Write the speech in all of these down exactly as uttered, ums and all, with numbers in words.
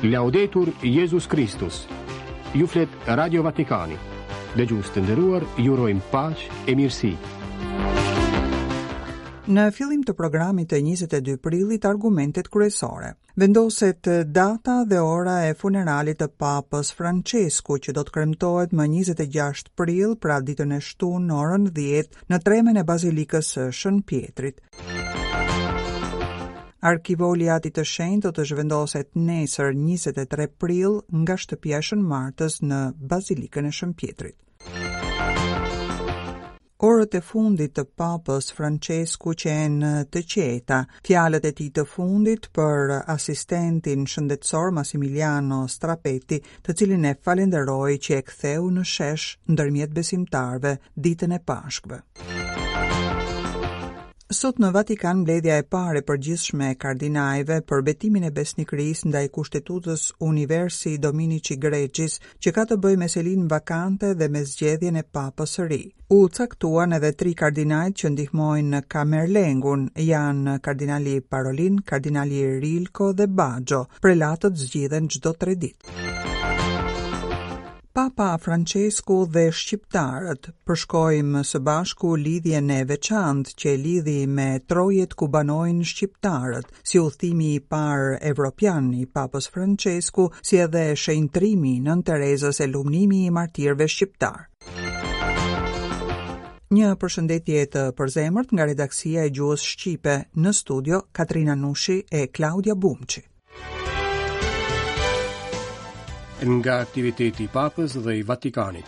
Laudetur Jezus Kristus. Ju flet Radio Vatikani. Dëgjues të nderuar, ju urojmë paqe e mirësi. Në fillim të programit të njëzet e dy prillit, argumentet kryesore. Vendoset data dhe ora e funeralit të Papës Francesku, që do të kremtohet më njëzet e gjashtë prill, pra ditën e shtunë, në orën dhjetë, në tremen e Bazilikës së Shën Pietrit. Arkivoli i Atit të Shenjtë do të zhvendoset nesër, njëzet e tre prill, nga shtëpia e Shën Martës në Bazilikën e Shën Pietrit. Orët e fundit të Papës Francesku qenë të qeta. Fjalët e tij të fundit për asistentin shëndetësor Massimiliano Strappetti, të cilin e falenderoi që e ktheu në shesh ndërmjet besimtarëve ditën e Pashkëve. Sot në Vatikan, mbledhja e parë e përgjithshme e kardinajve për betimin e besnikërisë ndaj kushtetutës Universi Dominici Gregis, që ka të bëjë me selinë vakante dhe me zgjedhjen e papës së ri. U caktuan edhe tri kardinajt që ndihmojnë Kamerlengun, janë kardinali Parolin, kardinali Rilko dhe Baggio. Prelatët zgjidhen çdo tre ditë. Papa Francesku dhe shqiptarët: përshkojmë së bashku lidhjen e veçantë që e lidhi me trojet ku banojnë shqiptarët, si udhëtimi i parë evropian i Papës Francesku, si edhe shenjtrimi i Nënë Terezës e lumnimi i martirëve shqiptar. Një përshëndetje të përzemërt nga redaksia e gjuhës shqipe, në studio Katrina Nushi e Klaudia Bumçi. Nga aktiviteti i Papës dhe i Vatikanit.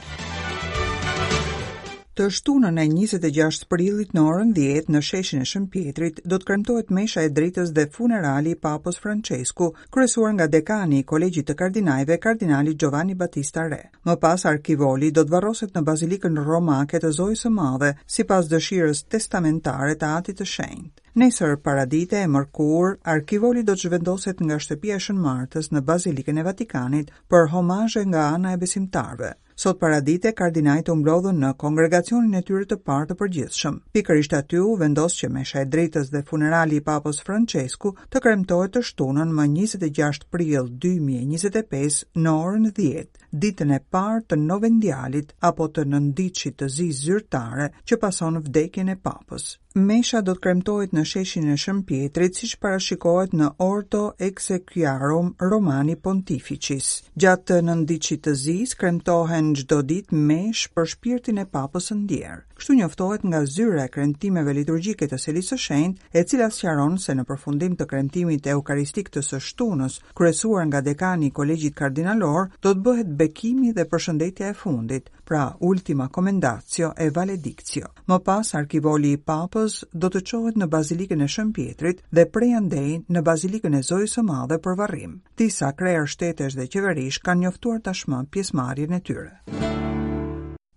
Të shtunën e njëzet e gjashtë prillit, në orën dhjetë, në sheshin e Shën Pietrit do të kremtohet mesha e dritës dhe funerali i Papës Francesku, kryesuar nga dekani i Kolegjit të Kardinajve, kardinali Giovanni Battista Re. Më pas arkivoli do të varroset në Bazilikën Romake të Zojës së Madhe, sipas dëshirës testamentare të Atit të Shenjtë. Nesër paradite, e mërkur, arkivoli do të zhvendoset nga shtëpia e Shën Martës në Bazilikën e Vatikanit për homazhe nga ana e besimtarëve. Sot paradite kardinajt u mblodhën në kongregacionin e tyre të parë të përgjithshëm. Pikërisht aty u vendos që mesha e dritës dhe funerali i Papës Francesku të kremtohet të shtunën, më njëzet e gjashtë prill dy mijë e njëzet e pesë, në orën dhjetë, ditën e parë të novendialit apo të nënditshit të zi zyrtare që pason vdekjen e Papës. Mesha do të kremtohet në sheshin e Shën Pietrit, siç parashikohet në Ordo Exsequiarum Romani Pontificis. Gjatë nënditshit të zis kremtohen çdo ditë mesh për shpirtin e Papës së ndjerë. Kështu njoftohet nga zyra e kremtimeve liturgjike të Selisë së Shenjtë, e cila sqaron se në përfundim të kremtimit eukaristik të së shtunës, kryesuar nga dekani i Kolegjit Kardinalor, do të bëhet bekimi dhe përshëndetja e fundit, pra ultima commendatio e valedictio. Më pas arkivoli i Papës do të çohet në Bazilikën e Shën Pietrit dhe prej andej në Bazilikën e Zojës së Madhe për varrim. Disa krerë shtetesh dhe qeverish kanë njoftuar tashmë pjesëmarrjen e tyre.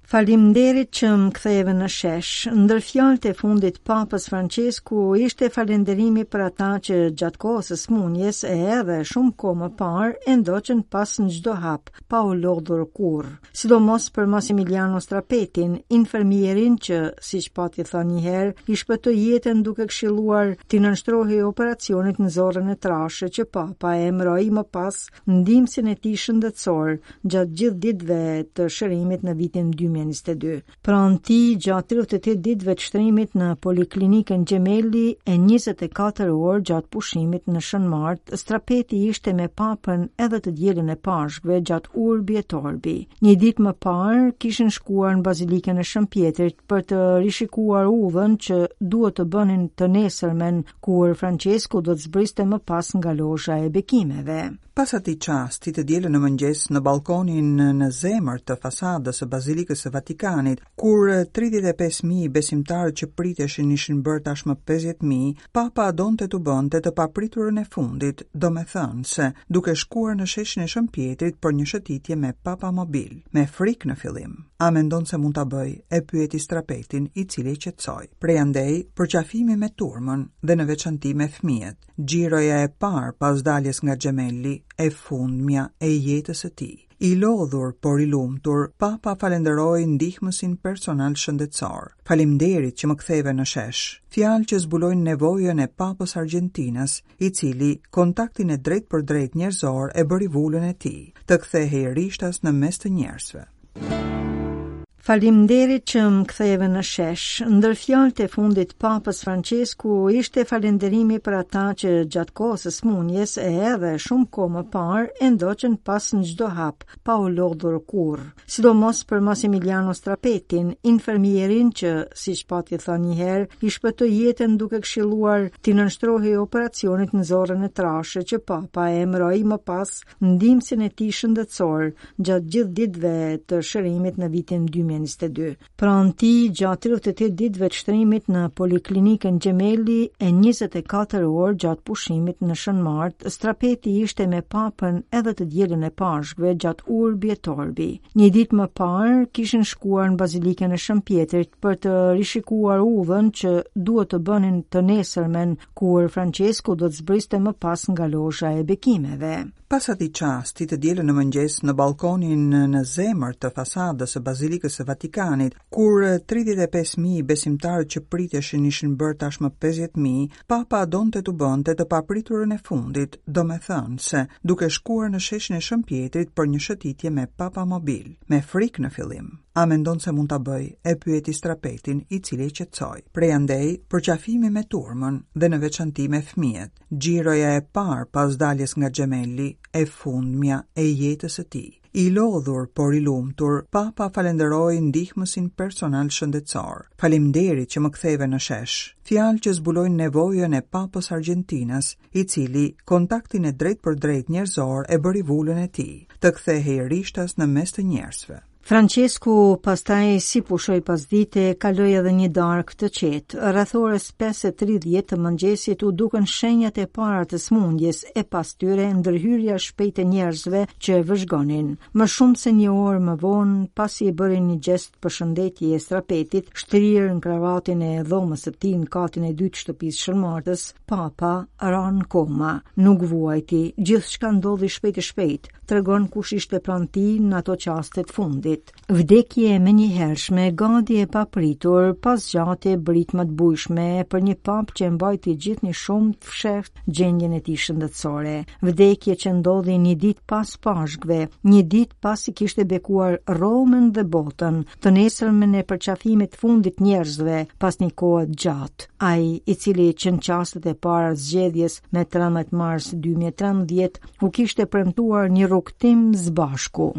Faleminderit që më ktheve në shesh. Ndër fjalët e fundit Papës Francesku ishte falënderimi për ata që gjatë kohës së smunjes e edhe shumë kohë më parë e ndoqën pas në çdo hap, pa u lodhur kurrë. Sidomos për Massimiliano Strappetin, infermierin që, siç pati thënë një herë, i shpëtoi jetën duke këshilluar t'i nënshtrohej operacionit në zorrën e trashë, që Papa e emëroi më pas ndihmësin e tij shëndetësor gjatë gjithë ditëve të shërimit në vitin dy mijë e njëzet e dy. Pranë tij gjatë tridhjetë e tetë ditëve të shtrimit në poliklinikën Gemelli e njëzet e katër orë gjatë pushimit në Shën Martë, Strappetti ishte me Papën edhe të dielën e Pashkëve gjatë Urbi et Orbi. Një ditë më parë kishin shkuar në Bazilikën e Shën Pietrit për të rishikuar udhën që duhet të bënin të nesërmen, kur Francesku do të zbriste më pas nga lozha e bekimeve. Pas atij çasti të dielën në mëngjes, në balkonin në zemër të fasadës së Bazilikës së Vatikanit, kur tridhjetë e pesë mijë besimtarët që priteshin ishin bërë tashmë pesëdhjetë mijë, Papa donte të bënte të papriturën e fundit, domethënë se duke shkuar në sheshin e Shën Pietrit për një shëtitje me Papa Mobil, me frikë në fillim. "A mendon se mund ta bëj?" e pyeti Strappettin, i cili e qetësoi. Prej andej, përqafimi me turmën dhe në veçanti me fëmijët. Xhiroja e parë pas daljes nga Gemelli, e fundmja e jetës së tij. I lodhur, por i lumtur, Papa falenderoi ndihmësin personal shëndetësor. Faleminderit që më ktheve në shesh. Fjalë që zbulojnë nevojën e Papës Argjentinës, i cili kontaktin e drejt për drejt njerëzor e bëri vulën e tij, të kthehej rishtas në mes të njerëzve. Faleminderit që më ktheve në shesh. Ndër fjalët e fundit Papës Francesku ishte falenderimi për ata që gjatë kohës së smunjes e edhe shumë kohë më parë e ndoqën pas në çdo hap, pa u lodhur kurrë. Sidomos për Massimiliano Strapetin, infermierin që, siç pati thënë një herë, i shpëtoi jetën duke këshilluar t'i nënshtrohej operacionit në zorrën e trashë që Papa e emëroi më pas ndihmësin e tij shëndetësor gjatë gjithë ditëve të shërimit në vitin dy mijë e njëzet e dy. Pranë tij, gjatë tridhjetë e tetë ditëve të shtrimit në Poliklinikën Gemelli e njëzet e katër orë gjatë pushimit në Shën Mart, Strapeti ishte me Papën edhe të dielën e Pashkëve gjatë Urbi et Orbi. Një ditë më parë kishin shkuar në Bazilikën e Shën Pjetrit për të rishikuar udhën që duhet të bënin të nesërmen kur Francesku do të zbriste më pas nga lozha e bekimeve. Pas atij çasti të dielën në mëngjes në balkonin në zemër të fasadës së Bazilikës së Vatikanit, kur tridhjetë e pesë mijë besimtarët që priteshin ishin bërë tashmë pesëdhjetë mijë, Papa donte t'u bënte të papriturën e fundit, domethënë se duke shkuar në sheshin e Shën Pjetrit për një shëtitje me Papa Mobil, me frikë në fillim. A mendon se mund ta bëj? E pyeti Strapetin, i cili e qetësoi. Prej andej, përqafimi me turmën dhe në veçanti me fëmijët, xhiroja e parë pas daljes nga Gemelli, e fundmja e jetës së tij. I lodhur, por i lumtur, Papa falenderoi ndihmësin personal shëndetësor. Faleminderit që më ktheve në shesh. Fjalë që zbulojnë nevojën e Papës Argjentinës, i cili kontaktin e drejt për drejt njerëzor e bëri vulën e tij, të kthehej rishtas në mes të njerëzve. Francesku pastaj si pushoi pasdite, kaloi edhe një darkë të qetë. Rreth orës pesë e tridhjetë të mëngjesit u dukën shenjat e para të sëmundjes e pas tyre ndërhyrja shpejt e njerëzve që e vëzhgonin. Më shumë se një orë më vonë, pasi i bëri një gjest përshëndetje e Strapetit, shtrirë në kravatin e dhomës së tij në katin e dytë të shtëpisë Shën Martës, Papa ra në koma. Nuk vuajti, gjithçka ndodhi shpejt e shpejt, tregon kush ishte pranë tij në ato çaste të fundit. Vdekje e menjëhershme, gati e papritur, pas zgjatje britma të bujshme për një papë që mbajti gjithnjë shumë të fshehtë gjendjen e tij shëndetësore. Vdekje që ndodhi një ditë pas Pashkëve, një ditë pasi kishte bekuar Romën dhe botën, të nesërmen e përqafimit të fundit njerëzve pas një kohe të gjatë. Ai, i cili që në çastet e para zgjedhjes me trembëdhjetë mars dy mijë e trembëdhjetë u kishte premtuar një rrugtim zbashku.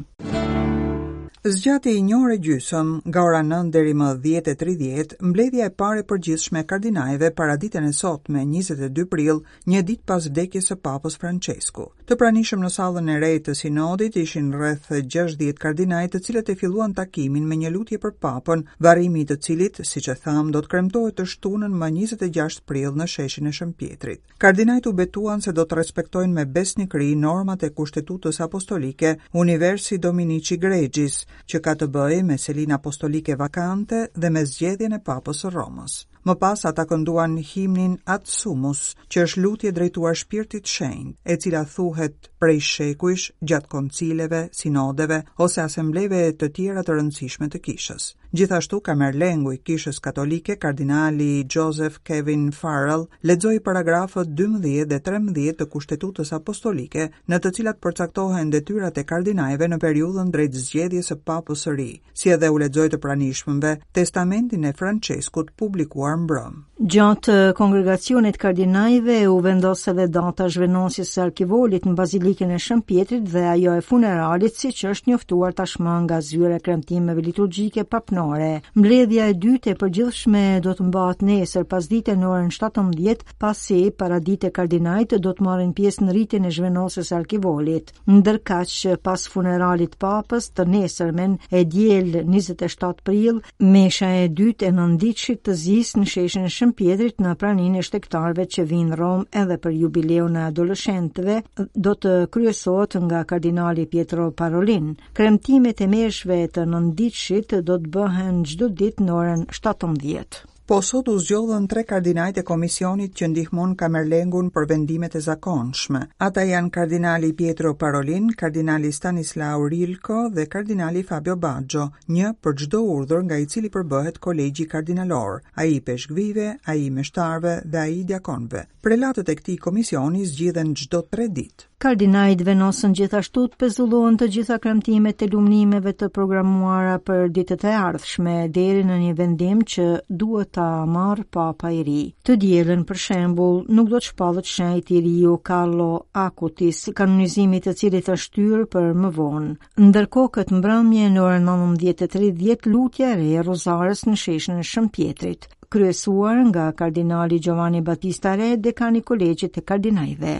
Zgjati një orë e gjysmë, nga ora nëntë deri më dhjetë e tridhjetë, mbledhja e parë e përgjithshme e kardinajve para ditën e sotme, njëzet e dy prill, një ditë pas vdekjes së Papës Francesku. Të pranishëm në sallën e re të sinodit ishin rreth gjashtëdhjetë kardinaj, të cilët e filluan takimin me një lutje për Papën, varrimi i të cilit, siç e tham, do të kremtohet të shtunën më njëzet e gjashtë prill në sheshin e Shën Pjetrit. Kardinajt u betuan se do të respektojnë me besnikëri normat e kushtetutës apostolike Universi Dominici Gregis, që ka të bëjë me selinë apostolike vakante dhe me zgjedhjen e Papës së Romës. Më pas ata kënduan himnin Ad Sumus, që është lutje drejtuar shpirtit shenjt, e cila thuhet prej shekujsh gjatë koncileve, sinodeve ose asambleve të tjera të rëndësishme të kishës. Gjithashtu, kamerlengu i Kishës Katolike, kardinali Joseph Kevin Farrell, lexoi paragrafët dymbëdhjetë dhe trembëdhjetë të Kushtetutës Apostolike, në të cilat përcaktohen detyrat e kardinajve në periudhën drejt zgjedhjes së Papës së ri, si edhe u lexoi të pranishmëve testamentin e Franceskut publikuar mbrëm. Gjatë kongregacionit kardinajve u vendos edhe data zhvenosjes së arkivolit në Bazilikën e Shën Pjetrit dhe ajo e funeralit, siç është njoftuar tashmë nga zyra e kremtimeve liturgjike papnore. Mbledhja e dytë e përgjithshme do të mbahet nesër pasdite në orën shtatëmbëdhjetë, pasi paradite kardinajt do të marrin pjesë në rritjen e zhvenosjes së arkivolit. Ndërkaq, pas funeralit papës të nesërmen e diel njëzet e shtatë prill, mesha e dytë e nënditshit të zisë në sheshin e Shën Pjetrit në praninë e shtegtarëve që vinë në Romë edhe për jubileun e adoleshentëve do të kryesohet nga kardinali Pietro Parolin. Kremtimet e meshve të nënditshit do të bëhen çdo ditë në orën shtatëmbëdhjetë. Po sot u zgjodhën tre kardinajt e komisionit që ndihmon Kamerlengun për vendimet e zakonshme. Ata janë kardinali Pietro Parolin, kardinali Stanislao Rylko dhe kardinali Fabio Baggio, një për çdo urdhër nga i cili përbëhet kolegji kardinalor, ai i peshkvive, ai i meshtarëve dhe ai i diakonëve. Prelatët e këtij komisioni zgjidhen çdo tre ditë. Kardinajt vendosën gjithashtu të pezullohen të gjitha kremtimet e lumnimeve të programuara për ditët e ardhshme deri në një vendim që duhet ta marrë Papa i ri. Të dielën, për shembull, nuk do të shpallet shenjt i riu Carlo Acutis, kanonizimi të cilit është shtyrë për më vonë. Ndërkohë këtë mbrëmje në orën nëntëmbëdhjetë e tridhjetë lutja e re e Rozarës në sheshin e Shën Pjetrit, kryesuar nga kardinali Giovanni Battista Re, dekani i kolegjit të kardinajve.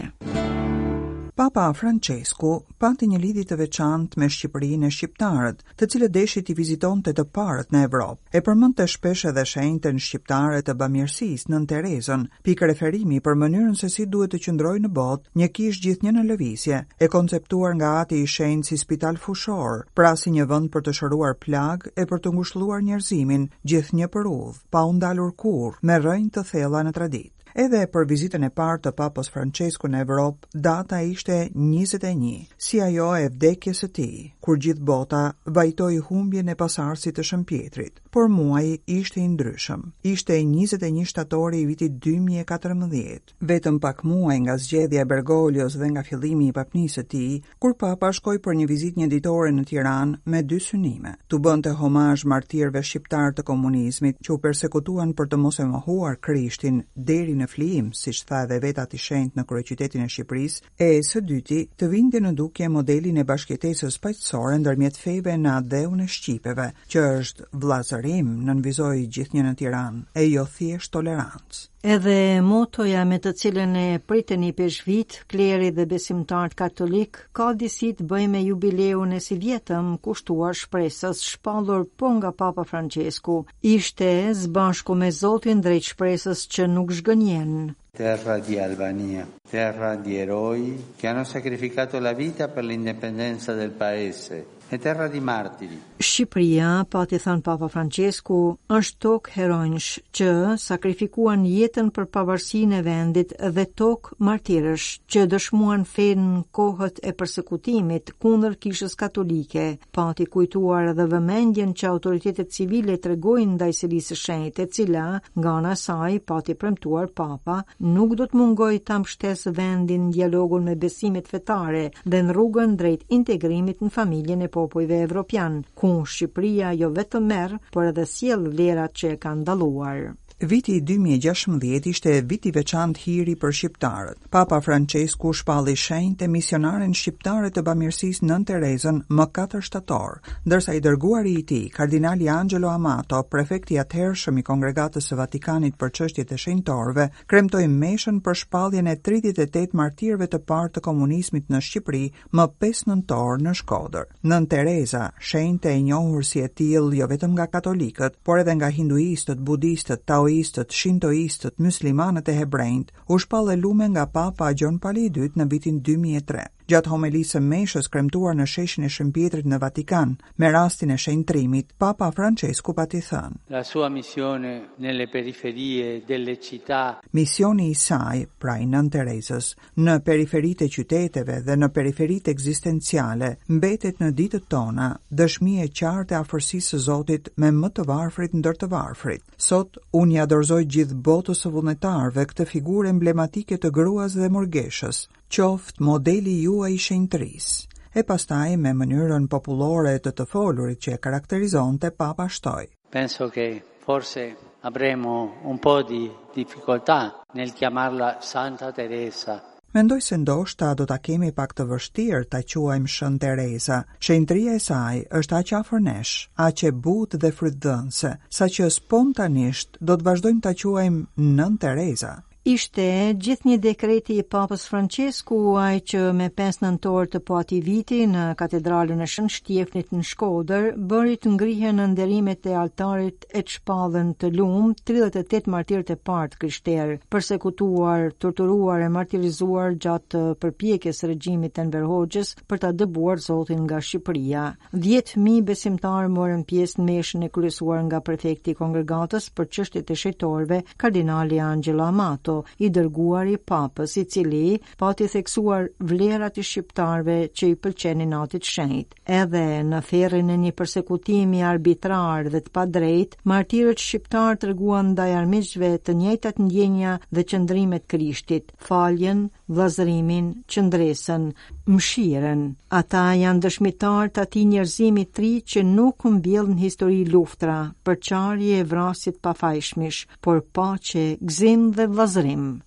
Papa Francesku pati një lidhje të veçantë me Shqipërinë e shqiptarët, të cilët deshi t'i vizitonte të parët në Evropë. E përmendte shpesh edhe shenjtën shqiptare të bamirësisë, Nënë Terezën, pikë referimi për mënyrën se si duhet të qëndrojë në botë një kishë gjithnjë në lëvizje, e konceptuar nga ati i shenjtë si spital fushor, pra si një vend për të shëruar plagë e për të ngushëlluar njerëzimin, gjithnjë për udhë, pa u ndalur kurrë, me rrënjë të thella në traditë. Edhe për vizitën e parë të Papës Francesku në Evropë, data ishte njëzet e një, si ajo e vdekjes së tij, kur gjithë bota vajtoi humbjen e pasardhësit të Shën Pjetrit. Por muaji ishte i ndryshëm. Ishte njëzet e një shtatori i vitit dy mijë e katërmbëdhjetë, vetëm pak muaj nga zgjedhja e Bergoglios dhe nga fillimi i papnisë së tij, kur Papa shkoi për një vizitë një ditore në Tiranë me dy synime: t'u bënte homazh martirëve shqiptar të komunizmit që u persekutuan për të mos e mohuar Krishtin deri në flijim, siç tha edhe vetë ati shenjt në kryeqytetin e Shqipërisë, e së dyti të vinte në dukje modelin e bashkëjetesës paqësore ndërmjet feve në atdheun e shqipeve, që është vllazërim, nënvizoi gjithnjë në Tiranë, e jo thjesht tolerancë. Edhe motoja me të cilën e pritën i peshvit, kleri dhe besimtarët katolik, ka disi të bëjë me jubileun e sivjetëm kushtuar shpresës shpallur po nga Papa Francesku. Ishte së bashku me Zotin drejt shpresës që nuk zhgënjen. Terra di Albania, terra di eroi che hanno sacrificato la vita per l'indipendenza del paese e terra di martiri. Shqipëria, pati thënë Papa Francesku, është tokë heronjsh që sakrifikuan jetën për pavarësinë e vendit dhe tokë martirësh që dëshmuan fenë në kohët e persekutimit kundër kishës katolike. Pati kujtuar edhe vëmendjen që autoritetet civile tregojnë ndaj Selisë së Shenjtë, e cila, nga ana e saj, pati premtuar Papa, nuk do të mungojë ta mbështesë vendin në dialogun me besimet fetare dhe në rrugën drejt integrimit në familjen e popujve evropian, ku Shqipëria jo vetëm merr, por edhe sjell vlerat që e kanë dalluar. Viti dy mijë e gjashtëmbëdhjetë ishte vit i veçantë hiri për shqiptarët. Papa Francesku shpalli shenjtë e misionaren shqiptare të bamirësisë Nënë Terezën më katër shtator, ndërsa i dërguari i tij, kardinali Angelo Amato, prefekti i atëhershëm i Kongregatës së Vatikanit për çështjet e shenjtorëve, kremtoi meshën për shpalljen e tridhjetë e tetë martirëve të parë të komunizmit në Shqipëri më pesë nëntor në Shkodër. Nënë Tereza, shenjtë e njohur si e tillë jo vetëm nga katolikët, por edhe nga hinduistët, budistët, taoistët, shintoistët, muslimanët e hebrejt, u shpall e lume nga Papa Gjon Pali i dytë në vitin dy mijë e tre. Gjatë homelisë së meshës kremtuar në sheshin e Shën Pjetrit në Vatikan, me rastin e shenjtrimit, Papa Francesku pati thënë: La sua missione nelle periferie delle città. Misioni i saj, pra i Nënë Terezës, në periferitë e qyteteve dhe në periferitë ekzistenciale, mbetet në ditët tona dëshmi e qartë e afërsisë së Zotit me më të varfrit ndër të varfrit. Sot unë ja dorëzoj gjithë botës së vullnetarëve këtë figurë emblematike të gruas dhe murgeshës, qoftë modeli juaj i shenjtërisë. E pastaj me mënyrën popullore të të folurit që e karakterizonte, Papa shtoi: Penso che forse avremo un po' di difficoltà nel chiamarla Santa Teresa. Mendoj se ndoshta do ta kemi pak të vështirë ta quajmë Shën Tereza. Shenjtëria e saj është aq afër nesh, aq e butë dhe frytdhënëse, saqë spontanisht do të vazhdojmë ta quajmë Nënë Tereza. Ishte gjithnjë dekreti i Papës Francesku ai që me pesë nëntor të po atij viti në katedralën e Shën Shtjefnit në Shkodër bëri të ngrihen në nderimet e altarit e të shpallen të lum tridhjetë e tetë martirët e parë të krishterë, persekutuar, torturuar e martirizuar gjatë përpjekjes së regjimit të Enver Hoxhës për ta dëbuar Zotin nga Shqipëria. dhjetë mijë besimtarë morën pjesë në meshën e kryesuar nga prefekti i kongregatës për çështjet e shejtorëve, kardinali Angelo Amato, i dërguar i Papës, i cili pati theksuar vlerat e shqiptarëve që i pëlqenin atit shenjt. Edhe në ferrin e një persekutimi arbitrar dhe të padrejt, martirët shqiptar treguan ndaj armiqve të njëjtat ndjenja dhe qëndrimet Krishtit, faljen, vëllazërimin, qëndresën, mëshirën. Ata janë dëshmitarë të atij njerëzimi të ri që nuk mbjell në histori luftra, përçarje e vrasje të pafajshmish, por paqe, gëzim dhe vëllazërim.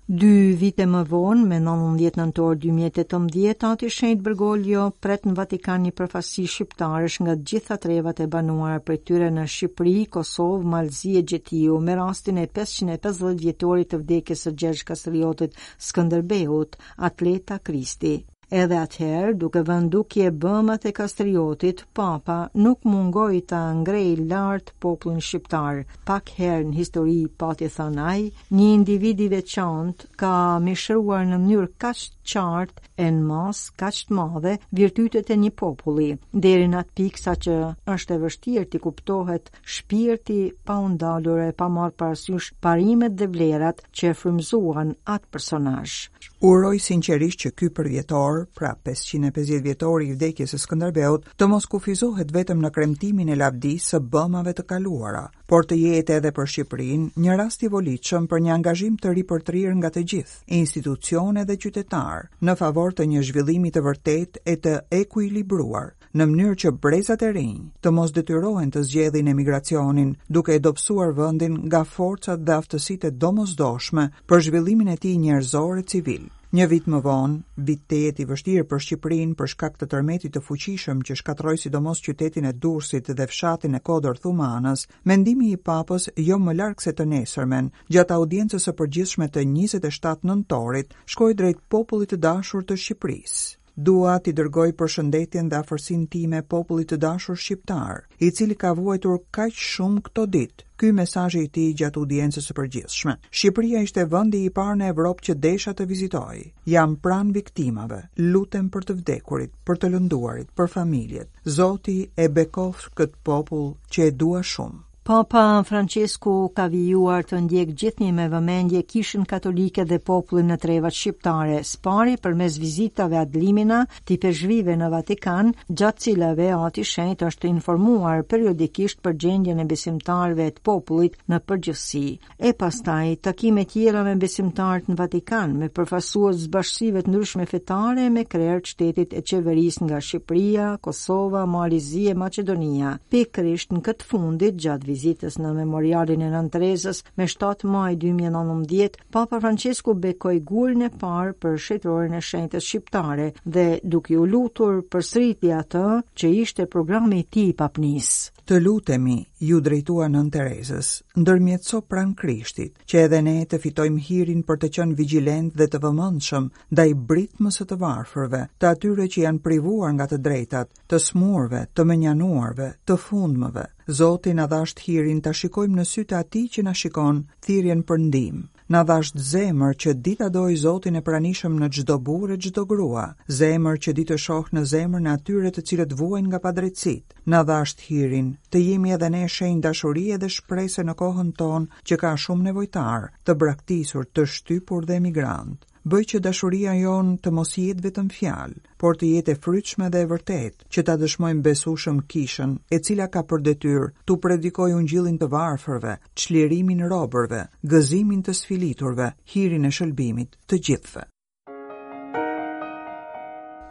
Dy vite më vonë, me nëntëmbëdhjetë nëntor dy mijë e tetëmbëdhjetë, Ati Shenjt Bergoglio pret në Vatikan një përfaqësi shqiptarësh nga të gjitha trevat e banuara prej tyre në Shqipëri, Kosovë, Malzi e gjetiu, me rastin e pesëqind e pesëdhjetë vjetorit të vdekjes së Gjergj Kastriotit Skënderbeut, Atleta Kristi. Edhe atëherë, duke vënë dukje bëmat e Kastriotit, Papa nuk mungoi ta ngrejë lart popullin shqiptar. Pak herë në histori, pati thënë ai, një individ i veçantë ka mishëruar në mënyrë kaq të qartë e në masë kaq të madhe virtytet e një populli, deri në atë pikë sa që është e vështirë t'i kuptohet shpirti pa u ndalur e pa marrë parasysh parimet dhe vlerat që e frymëzuan atë personazh. Uroj sinqerisht që ky përvjetor, pra pesëqind e pesëdhjetë vjetori i vdekjes së Skënderbeut, të mos kufizohet vetëm në kremtimin e lavdisë së bëmave të kaluara, por të jetë edhe për Shqipërinë një rast i volitshëm për një angazhim të ripërtrirë nga të gjithë, institucione dhe qytetarë, në favor të një zhvillimi të vërtetë e të ekuilibruar, në mënyrë që brezat e rinj të mos detyrohen të zgjedhin emigracionin, duke e dobësuar vendin nga forcat dhe aftësitë e domosdoshme për zhvillimin e tij njerëzor e civil. Një vit më vonë, vit tejet i vështirë për Shqipërinë për shkak të tërmetit të fuqishëm që shkatërroi sidomos qytetin e Durrësit dhe fshatin e Kodër Thumanës, mendimi i Papës jo më larg se të nesërmen, gjatë audiencës së përgjithshme të njëzet e shtatë nëntorit, shkoi drejt popullit të dashur të Shqipërisë. Dua t'i dërgoj përshëndetjen dhe afërsinë time popullit të dashur shqiptar, i cili ka vuajtur kaq shumë këto ditë. Ky mesazhi i tij gjatë audiencës së përgjithshme. Shqipëria ishte vendi i parë në Evropë që desha të vizitoj. Jam pranë viktimave, lutem për të vdekurit, për të lënduarit, për familjet. Zoti e bekoft këtë popull që e dua shumë. Papa Francesku ka vijuar të ndjek gjithnjë me vëmendje Kishën Katolike dhe popullin në trevat shqiptare, spari përmes vizitave ad limina të ipeshkvive në Vatikan, gjatë cilave Ati Shenjt është informuar periodikisht për gjendjen e besimtarëve të popullit në përgjithësi. E pastaj takime tjera me besimtarët në Vatikan, me përfaqësues të bashkësive të ndryshme fetare, me krerë të shtetit e qeverisë nga Shqipëria, Kosova, Mali i Zi e Maqedonia. Pikërisht në këtë fundit, gjatë vizitës në memorialin e Nënë Terezës me shtatë maj dy mijë e nëntëmbëdhjetë, Papa Francesku bekoi gurin e parë për shenjtorin e shenjtës shqiptare dhe duke u lutur përsëriti atë që ishte programi i tij i papnisë. Të lutemi, ju drejtua Nënë Terezës, ndërmjetëso pranë Krishtit, që edhe ne të fitojmë hirin për të qenë vigjilent dhe të vëmendshëm ndaj britmës së të varfërve, të atyre që janë privuar nga të drejtat, të smurve, të mënjanuarve, të fundmëve. Zoti na dhasht hirin ta shikojmë në sytë e atij që na shikon, thirrjen për ndihmë. Na dhasht zemër që di ta dojë Zotin e pranishëm në çdo burrë e çdo grua, zemër që di të shohë në zemrën e atyre të cilët vuajnë nga padrejtësitë. Na dhasht hirin të jemi edhe ne shenjë dashurie dhe shprese në kohën tonë që ka shumë nevojtar, të braktisur, të shtypur dhe emigrant. Bëj që dashuria jonë të mos jetë vetëm fjalë, por të jetë e frytshme dhe e vërtetë, që ta dëshmojmë besueshëm kishën, e cila ka për detyrë t'u predikojë ungjillin të varfërve, çlirimin robërve, gëzimin të sfiliturve, hirin e shëlbimit të gjithëve.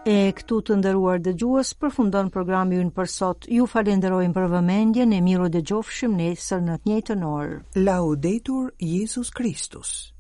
E këtu të nderuar dëgjues përfundon programi ynë për sot. Ju falenderojmë për vëmendjen e miru dëgjofshim nesër në të njëjtën orë. Laudetur Jezus Kristus.